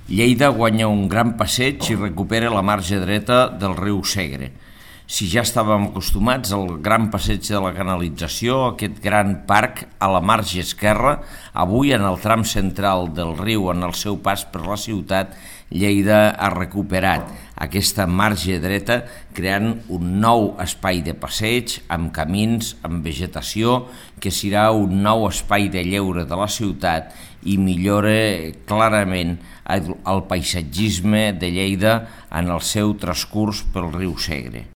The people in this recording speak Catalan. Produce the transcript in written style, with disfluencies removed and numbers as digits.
Lleida guanya un gran passeig i recupera la marge dreta del riu Segre. Si ja estàvem acostumats al gran passeig de la canalització, aquest gran parc a la marge esquerra, avui en el tram central del riu, en el seu pas per la ciutat, Lleida ha recuperat aquesta marge dreta creant un nou espai de passeig amb camins, amb vegetació, que serà un nou espai de lleure de la ciutat i millora clarament el paisatgisme de Lleida en el seu transcurs pel riu Segre.